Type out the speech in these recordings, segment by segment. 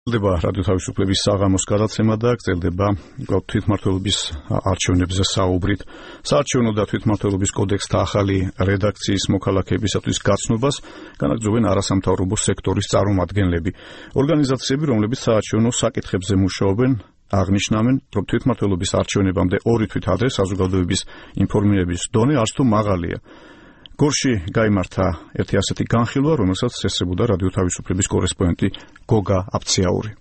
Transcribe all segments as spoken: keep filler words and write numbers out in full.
გრძელდება რადიო თავისუფლების საღამოს გადაცემა და გრძელდება თვითმმართველობის არჩევნებზე საუბრით. საარჩევნო და თვითმმართველობის კოდექსთა ახალი რედაქციის მოქალაქეებისათვის გაცნობას განაგრძობენ არასამთავრობო სექტორის წარმომადგენლები. ორგანიზაციები, რომლებიც საარჩევნო საკითხებზე მუშაობენ, აღნიშნავენ, რომ თვითმმართველობის არჩევნებამდე ორი თვით ადრე საზოგადოების ინფორმირების დონე არც თუ მაღალია. გორში გაიმართა ერთი ასეთი განხილვა, რომელსაც ესწრებოდა რადიო თავისუფლების კორესპონდენტი გოგა აფციაური.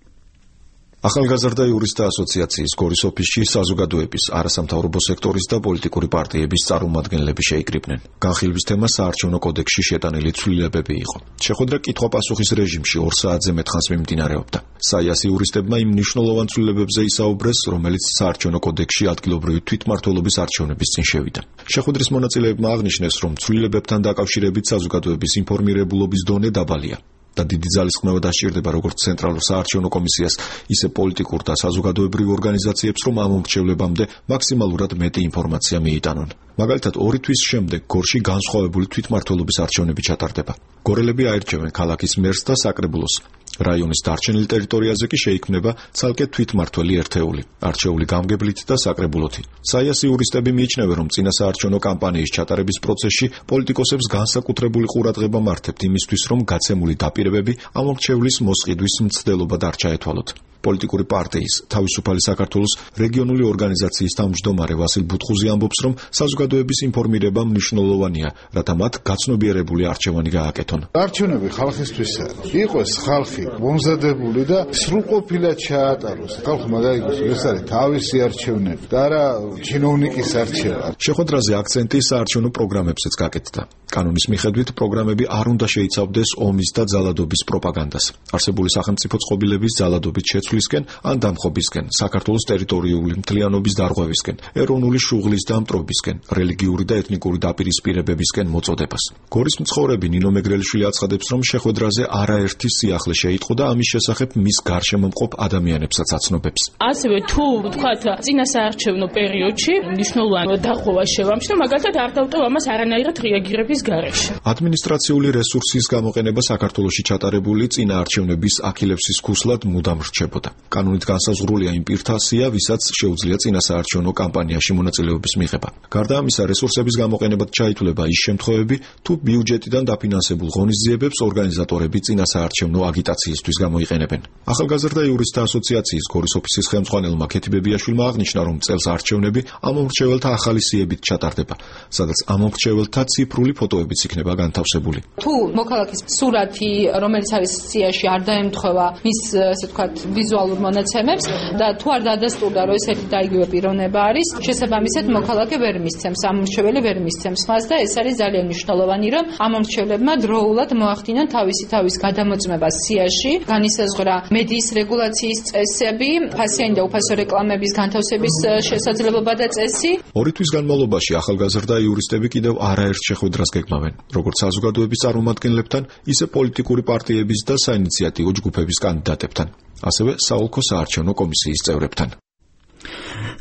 ახალგაზრდა იურისტთა ასოციაციის გორის ოფისში საზოგადოების, არასამთავრობო სექტორის და პოლიტიკური პარტიების წარმომადგენლები შეიკრიბნენ. განხილვის თემა საარჩევნო კოდექსში შეტანილი ცვლილებები იყო. შეხვედრა კითხვა-პასუხის რეჟიმში ორ საათზე მეტხანს მიმდინარეობდა. საიას იურისტებმა იმ მნიშვნელოვან ცვლილებებზე ისაუბრეს, რომელიც საარჩევნო კოდექსში ადგილობრივი თვითმმართველობის არჩევნების წინ შევიდა. შეხვედრის მონაწილეებმა აღნიშნეს, რომ ცვლილებებთან დაკავშირებით საზოგადოების ინფორმირებულობის დონე დაბალია. და დიდი ძალისხმევა დასჭირდება როგორც ცენტრალურ საარჩევნო კომისიას, ისე პოლიტიკურ და საზოგადოებრივ ორგანიზაციებს, რომ ამ მრჩევლებამდე მაქსიმალურად მეტი ინფორმაცია მიიტანონ. მაგალითად, ორი თვის შემდეგ გორში განსხვავებული თვითმმართველობის არჩევნები ჩატარდება. გორელები აირჩევენ ქალაქის მერს და საკრებულოს. რაიონის დარჩენილ ტერიტორიაზე კი შეიქმნება ცალკე თვითმმართველი ერთეული, არჩეული გამგებლით და საკრებულოთი. საიას იურისტები მიიჩნევენ, რომ წინასაარჩევნო კამპანიის ჩატარების პროცესში პოლიტიკოსებს განსაკუთრებული ყურადღება მართებთ იმისთვის, რომ გაცემული დაპირებები ამ მრჩევლის მოსყიდვის მცდელობა არ ჩაეთვალოთ. პოლიტიკური პარტიის თავისუფალი საქართველოს რეგიონული ორგანიზაციის თავმჯდომარე ვასილ ბუთხუზი ამბობს, რომ საზოგადოების ინფორმირება მნიშვნელოვანია, რათა მათ გაცნობიერებული არჩევანი გააკეთონ. არჩევნები ხალხისთვისა იყოს ხალხი მომზადებული და სრულყოფილად ჩაატაროს. ხალხმა გაიგოს, ეს არის თავისი არჩევნები და არა ჩინოვნიკის არჩევა. შეხვედრაზე აქცენტი საარჩევნო პროგრამებზეც გაკეთდა. კანონის მიხედვით პროგრამები არ უნდა შეიცავდეს ომის და ძალადობის პროპაგანდას. არსებული სახელმწიფო წყობილების ძალადობით შეცვლისკენ ან დამხობისკენ, საქართველოს ტერიტორიული მთლიანობის დარღვევისკენ, ეროვნული შუღლის და მტრობისკენ, რელიგიური და ეთნიკური დაპირისპირებებისკენ მოწოდებას. გორის მცხოვრები ნინო მეგრელიშვილი აცხადებს, რომ შეხვედრაზე არაერთი სიახლე შეიტყო და ამის შესახებ მის გარშემო მყოფ ადამიანებსაც აცნობებს. ასევე თუ ვთქვათ, წინასაარჩევნო პერიოდში მნიშვნელოვანი დაღუპვა შევამჩნევ, მაგალითად არ დავტოვ ამას არანაირად რეაგირების გარეშე. ადმინისტრაციული რესურსის გამოყენება საქართველოში ჩატარებული წინაარჩევნების აქილევსის ქუსლად მუდამ რჩებოდა. კანონით განსაზღვრულია იმ პირთა სია, ვისაც შეუძლია წინასაარჩევნო კამპანიაში მონაწილეობის მიღება. გარდა ამისა, რესურსების გამოყენებად ჩაითვლება ის შემთხვევები, თუ ბიუჯეტიდან დაფინანსებულ ღონისძიებებს ორგანიზატორები წინასაარჩევნო აგიტაციისთვის გამოიყენებენ. ახალგაზრდა იურისტთა ასოციაციის გორის ოფისის ხელმძღვანელმა ქეთი ბებიაშვილმა აღნიშნა, რომ წელს არჩევნები ამ მომრჩეველთა ახალი სიებით ჩატარდება, სადაც ამ მომრჩეველთა ციფრული ფოტოებიც იქნება განთავსებული. თუ მოქალაქის სურათი, რომელიც არის სიაში, არ დაემთხვევა მის, ასე ვთქვათ, ვიზუალურ მონაცემებს და თუ არ დადასტურდა, რომ ესეთი და იგივე პიროვნება არის, შესაბამისად მოქალაქე ვერ მისცემს, ამ მრჩეველი ვერ მისცემს მას და ეს არის ძალიან მნიშვნელოვანი, რომ ამ მრჩევლებმა დროულად მოახდინონ თავისი თავის გადამოწმება სიაში, განისაზღვრა მედიის რეგულაციის წესები, ფასიანი და უფასო რეკლამების განთავსების შესაძლებლობა და წესი. ორი თვის განმავლობაში ახალგაზრდა იურისტები კიდევ არაერთ შეხვედრას გეგმავენ, როგორც საზოგადოების წარმომადგენლებთან, ისე პოლიტიკური პარტიების და საინიციატივო ჯგუფების კანდიდატებთან, ასევე საოლქო საარჩევნო კომისიის წევრებთან.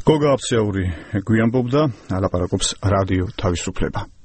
გოგა აფციაური გვიანბობდა, ალაპარაკობს რადიო თავისუფლება.